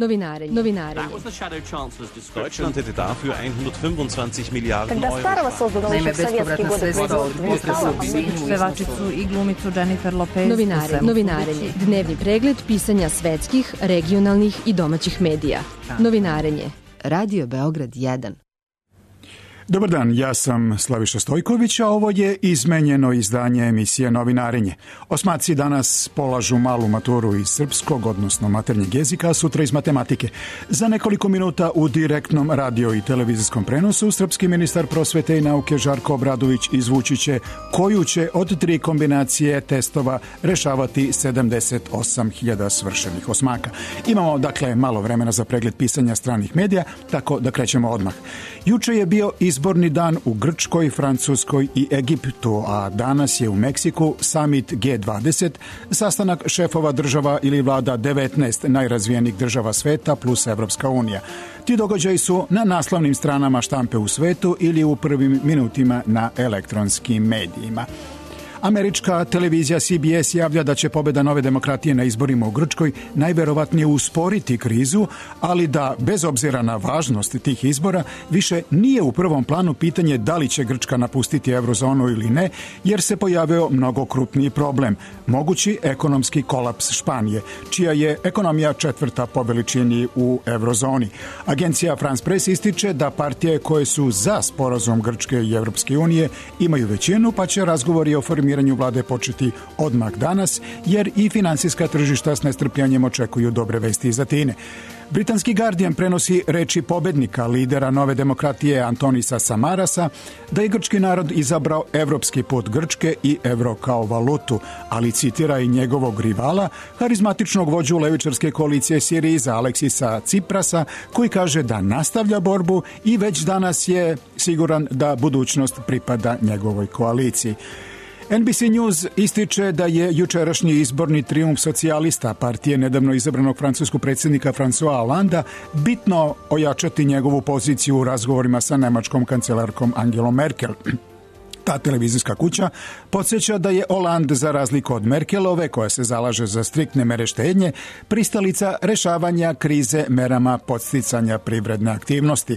Novinarenje. Deutschland hätte dafür 125 Milijarden Euro. Naime, bespovratna sredstva od potresa u Sinju. Pevačicu i glumicu Jennifer Lopez. Novinarenje. Dnevni pregled pisanja svetskih, regionalnih i domaćih medija. Novinarenje. Radio Beograd 1. Dobar dan, ja sam Slaviša Stojković, a ovo je izmenjeno izdanje emisije Novinarenje. Osmaci danas polažu malu maturu iz srpskog, odnosno maternjeg jezika, a sutra iz matematike. Za nekoliko minuta u direktnom radio i televizijskom prenosu srpski ministar prosvete i nauke Žarko Obradović izvući će koju će od 3 kombinacije testova rešavati 78.000 svršenih osmaka. Imamo, dakle, malo vremena za pregled pisanja stranih medija, tako da krećemo odmah. Juče je bio izborni dan u Grčkoj, Francuskoj i Egiptu, a danas je u Meksiku samit G20, sastanak šefova država ili vlada 19 najrazvijenijih država sveta plus Evropska unija. Ti događaji su na naslovnim stranama štampe u svetu ili u prvim minutima na elektronskim medijima. Američka televizija CBS javlja da će pobjeda Nove demokratije na izborima u Grčkoj najverovatnije usporiti krizu, ali da, bez obzira na važnost tih izbora, više nije u prvom planu pitanje da li će Grčka napustiti eurozonu ili ne, jer se pojavio mnogo krupniji problem, mogući ekonomski kolaps Španije, čija je ekonomija 4. po veličini u eurozoni. Agencija France Press ističe da partije koje su za sporazum Grčke i Evropske unije imaju većinu, pa će razgovori o formiranju vlade početi odmah danas, jer i finansijska tržišta s nestrpljanjem očekuju dobre vesti iz Atine. Britanski Guardian prenosi reči pobednika, lidera Nove demokratije Antonisa Samarasa, da je grčki narod izabrao evropski put Grčke i evro kao valutu, ali citira i njegovog rivala, harizmatičnog vođu levičarske koalicije Siriza Aleksisa Tsiprasa, koji kaže da nastavlja borbu i već danas je siguran da budućnost pripada njegovoj koaliciji. NBC News ističe da je jučerašnji izborni trijumf socijalista, partije nedavno izabranog francuskog predsjednika François Hollanda, bitno ojačati njegovu poziciju u razgovorima sa nemačkom kancelarkom Angelom Merkel. Ta televizijska kuća podsjeća da je Hollande, za razliku od Merkelove, koja se zalaže za striktne mere štednje, pristalica rešavanja krize merama podsticanja privredne aktivnosti.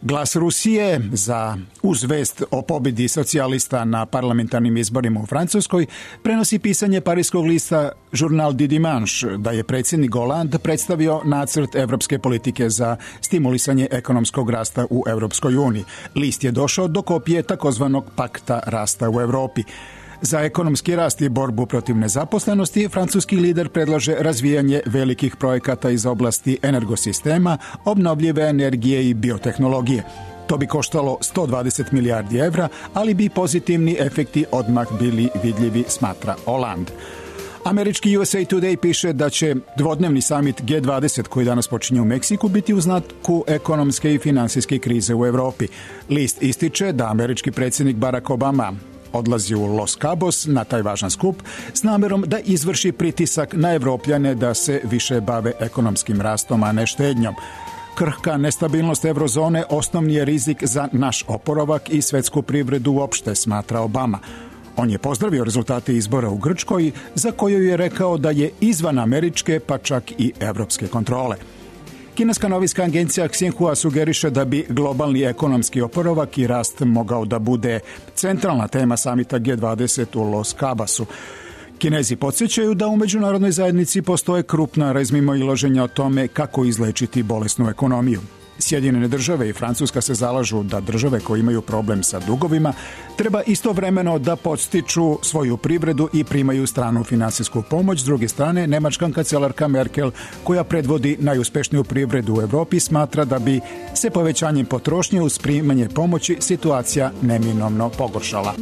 Glas Rusije uz vest o pobjedi socijalista na parlamentarnim izborima u Francuskoj prenosi pisanje parijskog lista Journal du Dimanche da je predsjednik Hollande predstavio nacrt evropske politike za stimulisanje ekonomskog rasta u Evropskoj uniji. List je došao do kopije takozvanog pakta rasta u Europi. Za ekonomski rast i borbu protiv nezaposlenosti, francuski lider predlaže razvijanje velikih projekata iz oblasti energosistema, obnovljive energije i biotehnologije. To bi koštalo 120 milijardi evra, ali bi pozitivni efekti odmah bili vidljivi, smatra Hollande. Američki USA Today piše da će dvodnevni samit G20 koji danas počinje u Meksiku biti u znaku ekonomske i finansijske krize u Europi. List ističe da američki predsjednik Barack Obama odlazi u Los Cabos na taj važan skup s namjerom da izvrši pritisak na Evropljane da se više bave ekonomskim rastom, a ne štednjom. Krhka nestabilnost eurozone osnovni je rizik za naš oporavak i svetsku privredu uopšte, smatra Obama. On je pozdravio rezultate izbora u Grčkoj, za koju je rekao da je izvan američke, pa čak i evropske kontrole. Kineska novinska agencija Xinhua sugeriše da bi globalni ekonomski oporavak i rast mogao da bude centralna tema samita G20 u Los Cabosu. Kinezi podsjećaju da u međunarodnoj zajednici postoje krupna razmimoilaženja o tome kako izlečiti bolesnu ekonomiju. Sjedinjene države i Francuska se zalažu da države koje imaju problem sa dugovima treba istovremeno da podstiču svoju privredu i primaju stranu finansijsku pomoć. S druge strane, nemačka kancelarka Merkel, koja predvodi najuspešniju privredu u Europi, smatra da bi se povećanjem potrošnje uz primanje pomoći situacija neminovno pogoršala.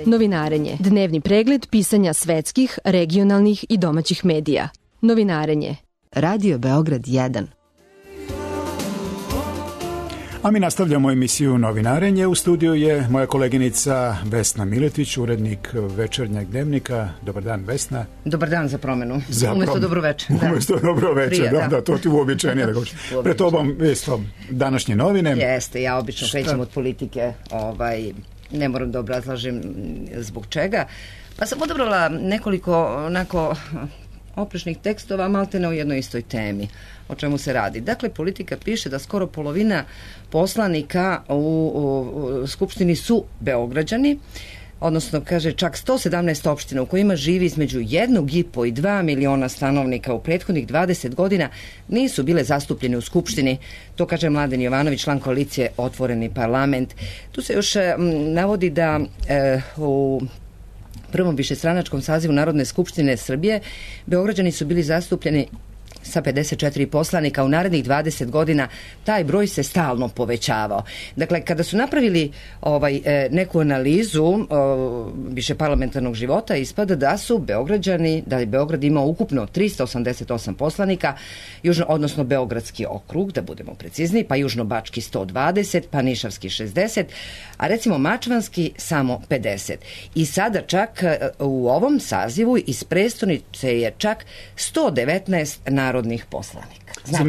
Novinarenje. Dnevni pregled pisanja svetskih, regionalnih i domaćih medija. Novinarenje. Radio Beograd 1. A mi nastavljamo emisiju Novinarenje. U studiju je moja koleginica Vesna Miletić, urednik Večernjeg dnevnika. Dobar dan, Vesna. Dobar dan za promenu. Umjesto dobro večer. Umjesto dobro večer, da, to ti uobičajenije da govorim. Pred tobom isto današnje novine. Jeste, ja obično krećem od politike, ne moram da obrazlažem zbog čega. Pa sam odabrala nekoliko onako oprečnih tekstova, maltene o jednoj istoj temi. O čemu se radi? Dakle, Politika piše da skoro polovina poslanika u Skupštini su Beograđani, odnosno, kaže, čak 117 opština u kojima živi između 1,5 i 2 miliona stanovnika u prethodnih 20 godina nisu bile zastupljene u Skupštini. To kaže Mladen Jovanović, član koalicije Otvoreni parlament. Tu se još navodi da u prvom višestranačkom sazivu Narodne skupštine Srbije Beograđani su bili zastupljeni sa 54 poslanika. U narednih 20 godina taj broj se stalno povećavao. Dakle, kada su napravili neku analizu više parlamentarnog života, ispada da su Beograđani, da je Beograd imao ukupno 388 poslanika, odnosno Beogradski okrug, da budemo precizni, pa Južnobački 120, pa Nišavski 60, a recimo Mačvanski samo 50. I sada čak u ovom sazivu iz prestonice je čak 119 narodnih poslanika. Znači,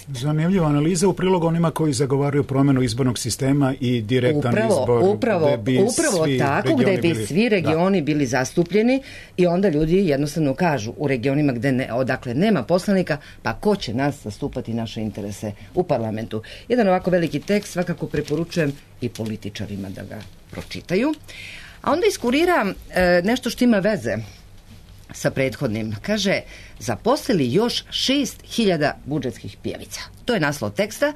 zanimljiva analiza u prilog onima koji zagovaraju promjenu izbornog sistema i direktan izbor. Upravo tako, gde bi svi regioni bili zastupljeni i onda ljudi jednostavno kažu u regionima odakle nema poslanika, pa ko će nas zastupati naše interese u parlamentu. Jedan ovako veliki tekst svakako preporučujem i političarima da ga pročitaju. A onda iskurira nešto što ima veze sa prethodnim. Kaže, zaposlili još 6.000 budžetskih pjevica. To je naslov teksta.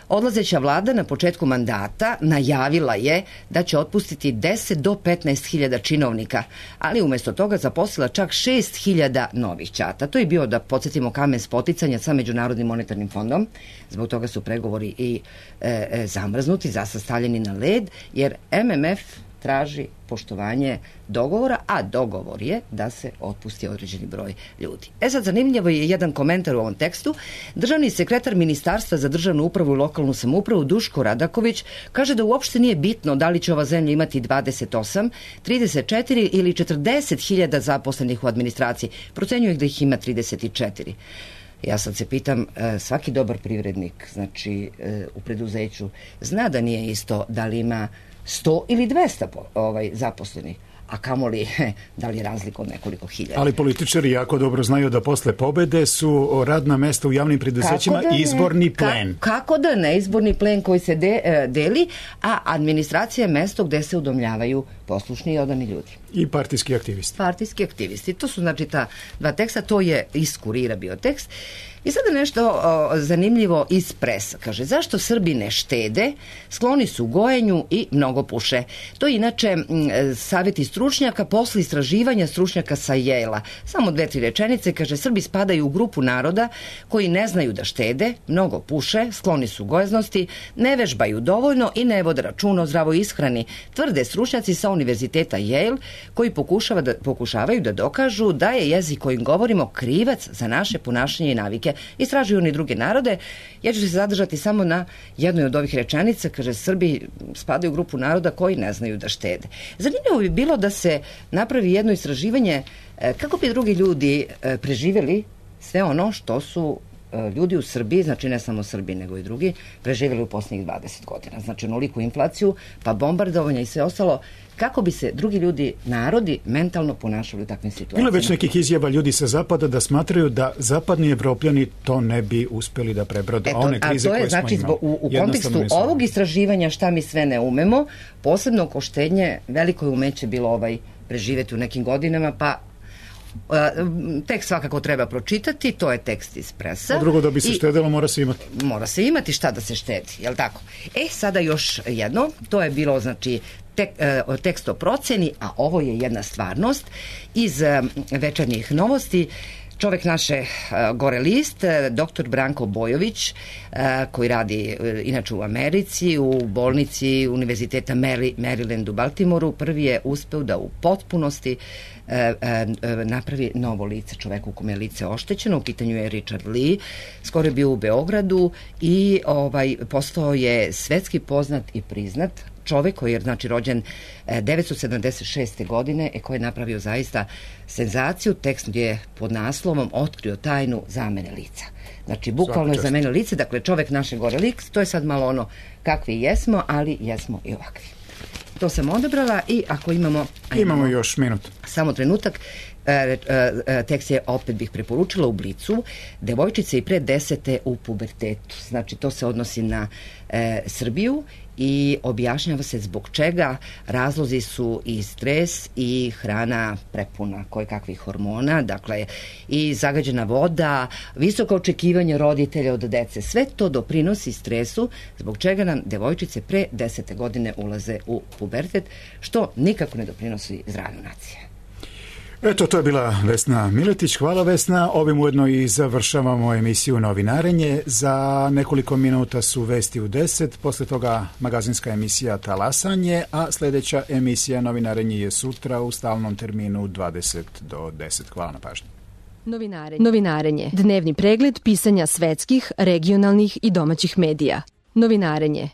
Odlazeća vlada na početku mandata najavila je da će otpustiti 10 do 15.000 činovnika, ali umjesto toga zaposlila čak 6.000 novih ćata. To je bio, da podsjetimo, kamen spoticanja sa Međunarodnim monetarnim fondom. Zbog toga su pregovori i zamrznuti, zasad stavljeni na led, jer MMF traži poštovanje dogovora, a dogovor je da se otpusti određeni broj ljudi. Sad, zanimljivo je jedan komentar u ovom tekstu. Državni sekretar Ministarstva za državnu upravu i lokalnu samoupravu Duško Radaković kaže da uopšte nije bitno da li će ova zemlja imati 28, 34 ili 40.000 zaposlenih u administraciji. Procenjuje da ih ima 34. Ja sad se pitam, svaki dobar privrednik, znači u preduzeću, zna da nije isto da li ima 100 ili 200 zaposlenih, a kamoli da li je razlika od nekoliko hiljada. Ali političari jako dobro znaju da posle pobede su radna mesta u javnim preduzećima izborni plen. Kako da ne, izborni plen koji se deli, a administracija je mesto gde se udomljavaju poslušni i odani ljudi. I partijski aktivisti. Partijski aktivisti. To su znači ta dva teksta, to je iz Kurira bio tekst. I sada nešto zanimljivo iz Presa. Kaže, zašto Srbi ne štede, skloni su gojenju i mnogo puše. To je inače savjeti stručnjaka posle istraživanja stručnjaka sa Yale-a. Samo 2-3 rečenice. Kaže, Srbi spadaju u grupu naroda koji ne znaju da štede, mnogo puše, skloni su gojaznosti, ne vežbaju dovoljno i ne vode računa o zdravoj ishrani. Tvrde stručnjaci sa univerziteta Yale, koji pokušavaju da dokažu da je jezik kojim govorimo krivac za naše ponašanje i navike. Istražuju oni druge narode. Ja ću se zadržati samo na jednoj od ovih rečenica. Kaže, Srbi spadaju u grupu naroda koji ne znaju da štede. Zanimljivo bi bilo da se napravi jedno istraživanje kako bi drugi ljudi preživjeli sve ono što su ljudi u Srbiji, znači ne samo Srbi nego i drugi, preživjeli u posljednjih 20 godina. Znači onoliku inflaciju, pa bombardovanja i sve ostalo, kako bi se drugi ljudi, narodi, mentalno ponašali u takvim situacijama. Bilo već nekih izjava ljudi sa zapada da smatraju da zapadni Evropljani to ne bi uspjeli da prebrode. One krize koje smo imali. U kontekstu ovog istraživanja šta mi sve ne umemo, posebno oko štednje, veliko je umeće bilo preživjeti u nekim godinama, pa tekst svakako treba pročitati, to je tekst iz Presa. A drugo, da bi se štedilo, mora se imati. Mora se imati šta da se štedi, jel tako? Sada još jedno, to je bilo znači tekst o proceni, a ovo je jedna stvarnost iz Večernjih novosti. Čovek naše Gore list, dr. Branko Bojović, koji radi inače u Americi, u bolnici Univerziteta Maryland u Baltimoru, prvi je uspeo da u potpunosti napravi novo lice čoveku kome je lice oštećeno. U pitanju je Richard Lee, skoro je bio u Beogradu i postao je svetski poznat i priznat čovek koji je znači rođen 1976. godine i koji je napravio zaista senzaciju. Tekst je pod naslovom Otkrio tajnu zamene lica. Znači bukvalno je zamenio lice, dakle čovek naše Gore list, to je sad malo ono kakvi jesmo, ali jesmo i ovakvi. To sam odabrala i ako imamo... Imamo još minut. Samo trenutak. tekst je, opet bih preporučila, u Blicu, devojčice i pre 10. u pubertetu. Znači, to se odnosi na Srbiju i objašnjava se zbog čega. Razlozi su i stres i hrana prepuna kojekakvih hormona, dakle i zagađena voda, visoko očekivanje roditelja od dece. Sve to doprinosi stresu, zbog čega nam devojčice pre 10. godine ulaze u pubertet, što nikako ne doprinosi zdravlju nacije. Eto, to je bila Vesna Miletić. Hvala, Vesna. Ovim ujedno i završavamo emisiju Novinarenje. Za nekoliko minuta su vesti u 10, posle toga magazinska emisija Talasanje, a sljedeća emisija Novinarenje je sutra u stalnom terminu 20 do 10. Hvala na pažnji. Novinarenje. Dnevni pregled pisanja svetskih, regionalnih i domaćih medija. Novinarenje.